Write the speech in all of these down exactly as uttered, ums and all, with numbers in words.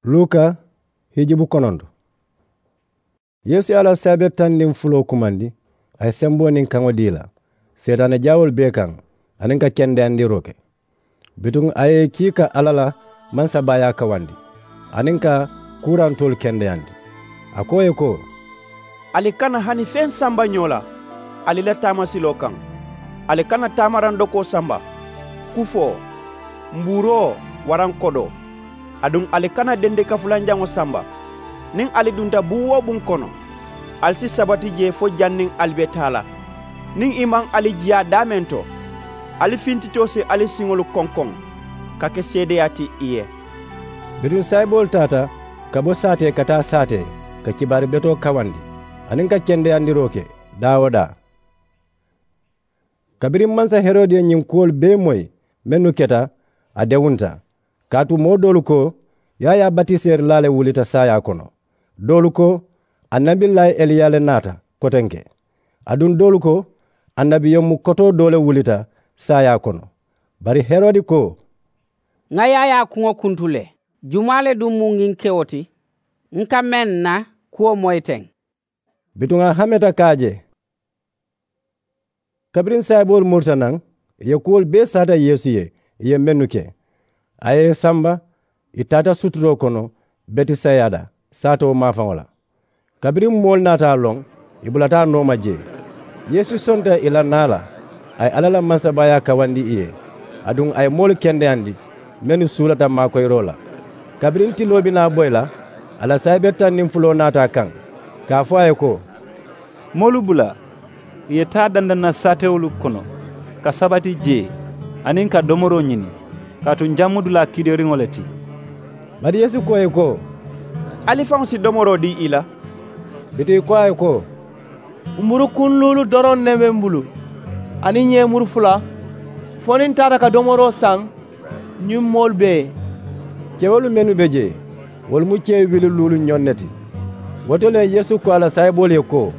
Luka hijibu kononto. Yeesu ye a la saayibe taŋ niŋ fuloo kumandi, a ye semboo niŋ kaŋo dii i la seetaane jaawoolu bee kaŋ, aniŋ ka kendeyandiroo ke. Bituŋ a ye i kii ka alla la mansabaayaa kawandi, aniŋ ka kuurantoolu kendeyandi. A ko ì ye ko, ali kana hani feŋ samba ñoo la ali la taamasiloo kaŋ. Ali kana taamaraŋ dokoo samba, kufoo, mbuuroo, waraŋ kodoo. Aduŋ ali kana dendeka fulanjaŋo samba. Niŋ ali dunta buŋ-wo-buŋ kono, ali si sabati jee fo janniŋ ali be taa la. Niŋ ì maŋ ali jiyaa daameŋ to, ali fintitoo si ali siŋolu konkoŋ ka ke seedeyaa ti ì ye. Bituŋ saayiboolu taata ka bo saatee ka taa saatee, ka kibaari betoo kawandi aniŋ ka kendeyandiroo ke daa-wo-daa. Kabiriŋ mansa herodi ye ñiŋ kuwolu bee moyi mennu keta, a dewunta. Kaatu moo doolu ko, yaayaa batiseerilaa le wulita saayaa kono. Doolu ko, annabilaayi eliya le naata kotenke. Aduŋ doolu ko, annabiyomu kotoo doo le wulita saayaa kono. Bari herodi ko, ŋa yaayaa kuŋo kuntu le. Jumaa le duŋ mu ñiŋ kewo ti n ka meŋ na kuwo moyi teŋ? Bituŋ a hameta ka a je. Kabiriŋ saayiboolu murita naŋ, ì ye kuwolu bee saata yeesu ye, ì ye mennu ke. A ye ì samba, ì taata suturoo kono betisayida saatoo maafaŋo la. Kabiriŋ moolu naata a loŋ, ì bulata a nooma jee. Yeesu sonta ì la naa la. A ye alla la mansabaayaa kawandi ì ye, aduŋ a ye moolu kendeyandi mennu suulata maakoyiroo la. Kabiriŋ tiloo be naa boyi la, a la saayibe taŋ niŋ fuloo naata a kaŋ, ka a fo a ye ko, moolu bula ì ye taa dandaŋ na saatewolu kono, ka sabati jee aniŋ ka domoroo ñini, kaatu n jaŋ mu dulaa kiideeriŋo le ti. Bari yeesu ko ì ye ko, ali faŋo si domoroo dii ì la? Bituŋ ì ko a ye ko, mburu kuŋ luulu doroŋ ne be m bulu, aniŋ ñeemuru fula, fo niŋ n taata ka domoroo saŋ ñiŋ moolu bee ye. Kewolu mennu be jee, wolu mu kee wili luulu ñoŋ ne ti. Wo to le yeesu ko a la saayiboolu ye ko,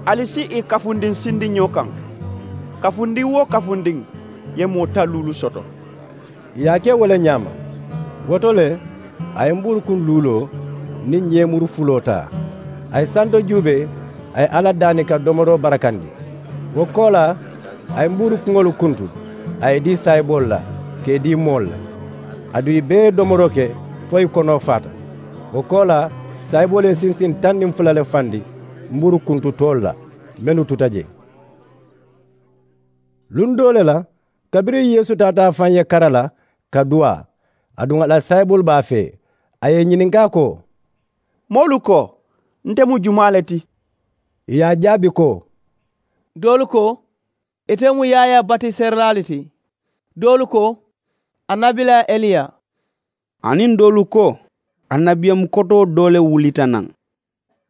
ali si ì kafundiŋ sindiñoo kaŋ. Kafundiŋ-wo-kafundiŋ ye moo taŋ luulu soto. Ì ye a ke wo le ñaama. Wo to le, a ye mbuuru kuŋ luuloo niŋ ñeemuru fuloo taa. A ye santo juubee, a ye alla daani ka domoroo barakandi. Wo koolaa, a ye mbuuru kuŋolu kuntu, a ye ì dii saayiboolu la, ka ì dii moolu la. Aduŋ ì bee ye domoroo ke fo ì konoo faata. Wo koolaa, saayiboolu ye sinsiŋ taŋ niŋ fula le fandi mbuuru kuntu toolu la, mennu tuta jee. Luŋ doo le la, kabiriŋ yeesu taata a faŋ ye kara la ka duwaa, aduŋ a la saayiboolu be a fee, a ye ì ñininkaa ko, moolu ko nte mu jumaa le ti? Ì ye a jaabi ko, doolu ko ite mu yaayaa batiseerilaa le ti. Doolu ko, annabilaa eliya. Aniŋ doolu ko, annabiyamu kotoo doo le wulita naŋ.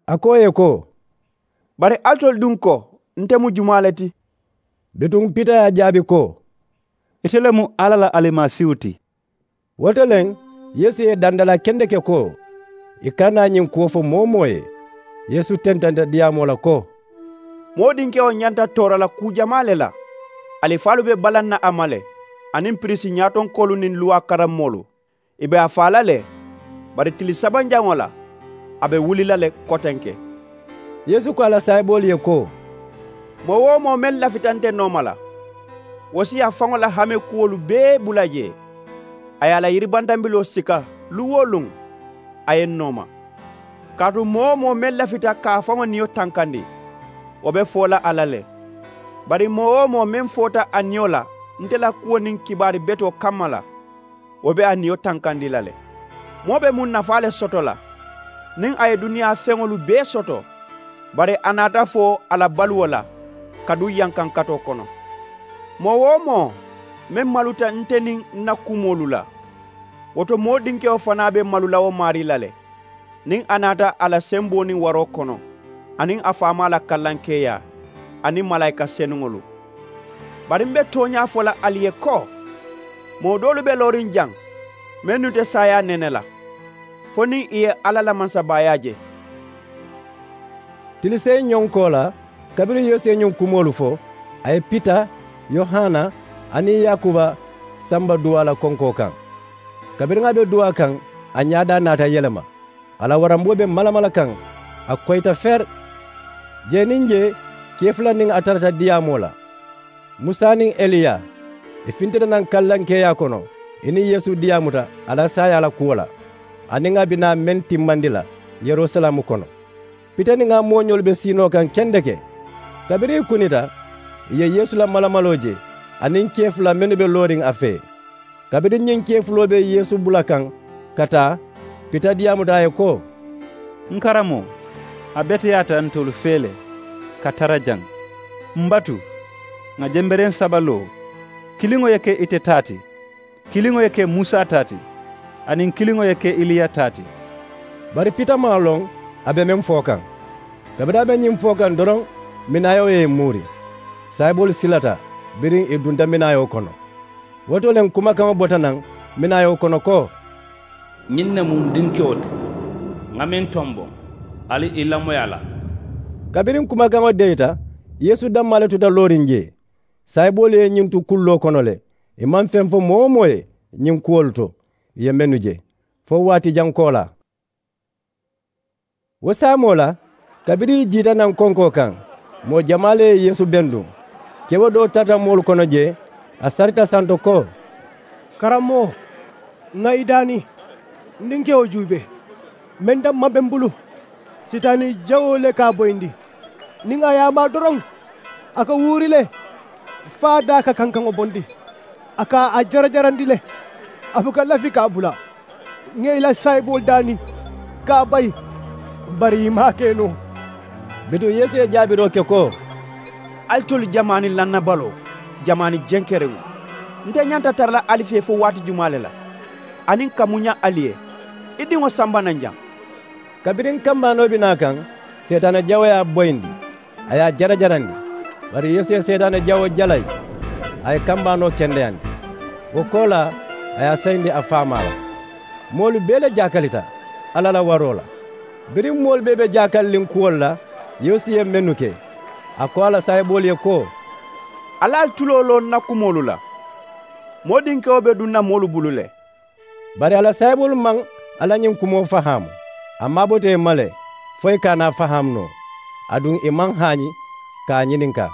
A ko ì ye ko, bari alitolu duŋ ko nte mu jumaa le ti? Bituŋ pita ye a jaabi ko, ite le mu alla la alimasiihu ti. Wo to le, yeesu ye dandalaa kendeke ko, ì kana ñiŋ kuwo fo moo-wo-moo ye. Yeesu tententa diyaamoo la ko, moo dinkewo ñanta toora la kuu jamaa le la. Alifaalu be balaŋ na a ma le, aniŋ piriisi ñaatonkoolu niŋ luwaa karammoolu. Ì be a faa la le, bari tili sabanjaŋo la, a be wuli la le kotenke. Yeesu ko a la saayiboolu ye ko, moo-wo-moo meŋ lafita nte nooma la, wo si a faŋo la hame kuwolu bee bula jee. A ye a la yiribantambiloo sika luŋ-wo-luŋ, a ye n nooma. Kaatu moo-wo-moo meŋ lafita ka a faŋo niyo tankandi, wo be foo la a la le. Bari moo-wo-moo meŋ foota a niyo la nte la kuwo niŋ kibaari betoo kamma la, wo be a niyo tankandi la le. Moo be muŋ nafaa le soto la, niŋ a ye duniyaa feŋolu bee soto, bari a naata fo a la baluwo la ka duŋ yankankatoo kono. Moo-wo-moo meŋ maluta nte niŋ n na kumoolu la, wo to moo dinkewo fanaa be malu la wo maarii la le, niŋ a naata a la semboo niŋ waroo kono, aniŋ a faamaa la kallankeeyaa, aniŋ malaayika senuŋolu. Bari m be tooñaa fo la ali ye ko, moo doolu be looriŋ jaŋ mennu te saayaa nene la, fo niŋ ì ye alla la mansabaayaa je. Tili seyi ñoŋ koolaa, kabiriŋ yeesu ye ñiŋ kumoolu fo, a ye pita, yohana, aniŋ yaakuba samba duwaa la konkoo kaŋ. Kabiriŋ a be duwaa kaŋ, a ñaadaa naata yelema. A la waramboo be malamala kaŋ, a koyita feri. Jee niŋ jee, kee fula niŋ a tarata diyaamoo la. Musa niŋ eliya, ì fintita naŋ kallankeeyaa kono, ì niŋ yeesu diyaamuta a la saayaa la kuwo la, aniŋ a bi naa meŋ timmandi la yerusalaamu kono. Pita niŋ a mooñoolu be siinoo kaŋ kendeke. Kabiriŋ ì kunita, ì ye yeesu la malamaloo je, aniŋ kee fula mennu be looriŋ a fee. Kabiriŋ ñiŋ kee fuloo be yeesu bula kaŋ ka taa, pita diyaamuta a ye ko, n karamoo, a beteyaata ntolu fee le ka tara jaŋ. M batu, ŋà jembereŋ saba loo, kiliŋo ye ke ite taa ti, kiliŋo ye ke musa taa ti, aniŋ kiliŋo ye ke iliya taa ti. Bari pita maŋ a loŋ a be meŋ fo kaŋ. Kabiriŋ a be ñiŋ fo kaŋ doroŋ, minaayoo ye ì muuri. Saayiboolu silata biriŋ ì dunta minaayoo kono. Wo to le kumakaŋo bota naŋ minaayoo kono ko, ñiŋ ne mu n dinkewo ti, ŋa meŋ tomboŋ, ali i lamoyi a la. Kabiriŋ kumakaŋo deyita, yeesu dammaa le tuta looriŋ jee. Saayiboolu ye ñiŋ tu kulloo kono le, ì maŋ feŋ fo moo-wo-moo ye ñiŋ kuwolu to ì ye mennu je, fo waati jaŋ koolaa. Wo saamoo la, kabiriŋ ì jiita naŋ konkoo kaŋ, moo jamaa le ye yeesu benduŋ. Kewo doo tarata moolu kono jee, a sarita santo ko, karammoo, ŋà i daani, n dinkewo juubee. Meŋ damma be m bulu, sitaani jawoo le ka a boyindi. Niŋ a ye a maa doroŋ, a ka wuuri le, fo a daa ka kankaŋo bondi. A ka a jarajarandi le, a buka lafi ka a bula. Ŋà i la saayiboolu daani ka a bayi, bari ì maŋ a ke noo. Bituŋ yeesu ye jaabiroo ke ko, alitolu jamaani lannabaloo, jamaani jenkereŋo, nte ñanta tara la ali fee fo waati jumaa le la, aniŋ ka muña ali ye? I diŋo samba naŋ jaŋ. Kabiriŋ kambaanoo be naa kaŋ, seetaane jawoo ye a boyindi, a ye a jarajarandi. Bari yeesu ye seetaane jawoo jalayi, a ye kambaanoo kendeyandi. Wo koolaa, a ye a sayindi a faamaa la. Moolu bee le jaakalita alla la waroo la. Biriŋ moolu bee be jaakaliliŋ kuwolu la, yeesu ye mennu ke, a ko a la saayiboolu ye ko, ali ali tuloo loo n na kumoolu la. Moo dinkewo be duŋ na moolu bulu le. Bari a la saayiboolu maŋ a la ñiŋ kumoo fahaamu. A maabota ì ma le, fo ì ka a naa fahaamu noo. Aduŋ ì maŋ haañi ka a ñininkaa.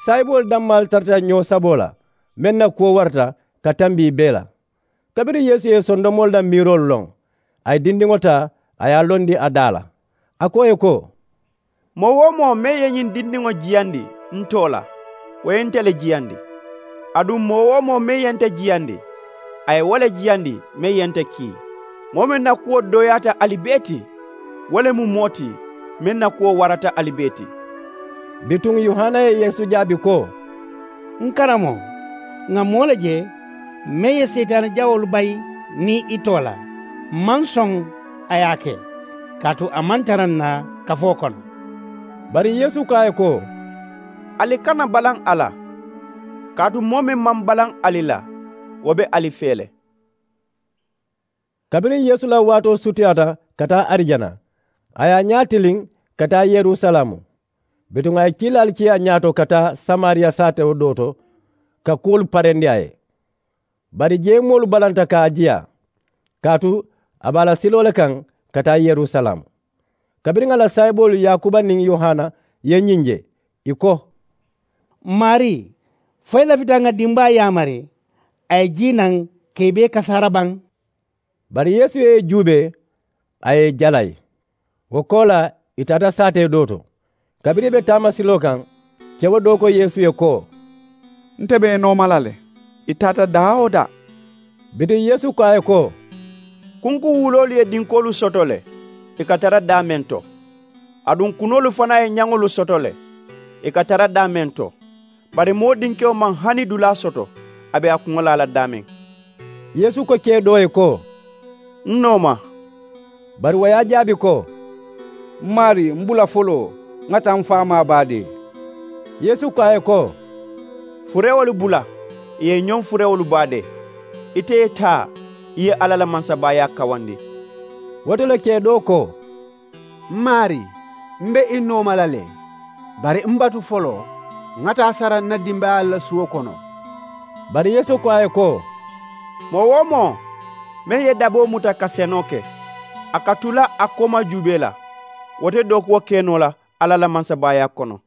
Saayiboolu dammaalu tarata ñoo saboo la, meŋ na kuwo warata ka tambi ì bee la. Kabiriŋ yeesu ye sondomoolu la miiroolu loŋ, a ye dindiŋo taa, a ye a londi a daa la. A ko ì ye ko, moo-wo-moo meŋ ye ñiŋ dindiŋo jiyandi n too la, wo ye nte le jiyandi. Aduŋ moo-wo-moo meŋ ye nte jiyandi, a ye wo le jiyandi meŋ ye nte kii. Moo meŋ na kuwo dooyaata ali bee ti, wo le mu moo ti meŋ na kuwo warata ali bee ti. Bituŋ yohana ye yeesu jaabi ko, n karamoo, ŋà moo le je meŋ ye seyitaane jawoolu bayi niŋ i too la. M maŋ soŋ a ye a ke, kaatu a maŋ tara n na kafoo kono. Bari yeesu ko a ye ko, ali kana balaŋ a la, kaatu moo meŋ maŋ balaŋ ali la, wo be ali fee le. Kabiriŋ yeesu la waatoo sutiyaata ka taa arijana, a ye a ñaa tiliŋ ka taa yerusalaamu. Bituŋ a ye kiilaalu kii a ñaato ka taa samariya saatewo doo to, ka kuwolu parendi a ye. Bari jee moolu balanta ka a jiyaa, kaatu a be a la siloo le kaŋ ka taa yerusalaamu. Kabiriŋ a la saayiboolu yaakuba niŋ yohana ye ñiŋ je, ì ko, maarii, fo i lafita ŋà dimbaa yaamari a ye jii naŋ ka i bee kasaara baŋ? Bari yeesu ye ì juubee, a ye ì jalayi. Wo koolaa, ì taata saatee doo to. Kabiriŋ ì be taamasiloo kaŋ, kewo doo ko yeesu ye ko, nte be i nooma la le. Ì taata daa-wo-daa. Bituŋ yeesu ko a ye ko, kunkuwuloolu ye dinkoolu soto le, ì ka tara daameŋ to. Aduŋ kunoolu fanaa ye ñaŋolu soto le, ì ka tara daameŋ to. Bari moo dinkewo maŋ hani dulaa soto a be a kuŋo laa la daameŋ. Yeesu ko kee doo ye ko, n nooma. Bari wo ye a jaabi ko, m maarii, m bula foloo, ŋà taa m faamaa baadee. Yeesu ko a ye ko, furewolu bula, ì ye ñoŋ furewolu baadee. Ite ye taa, i ye alla la mansabaayaa kawandi. Wo to le kee doo ko, m maarii, m be i nooma la le. Bari m batu foloo, ŋà taa sara n na dimbayaalu la suwo kono. Bari yeesu ko a ye ko, moo-wo-moo meŋ ye daboo muta ka senoo ke, a ka tu la a kooma juubee la. Wo te dookuwo ke noo la alla la mansabaayaa kono.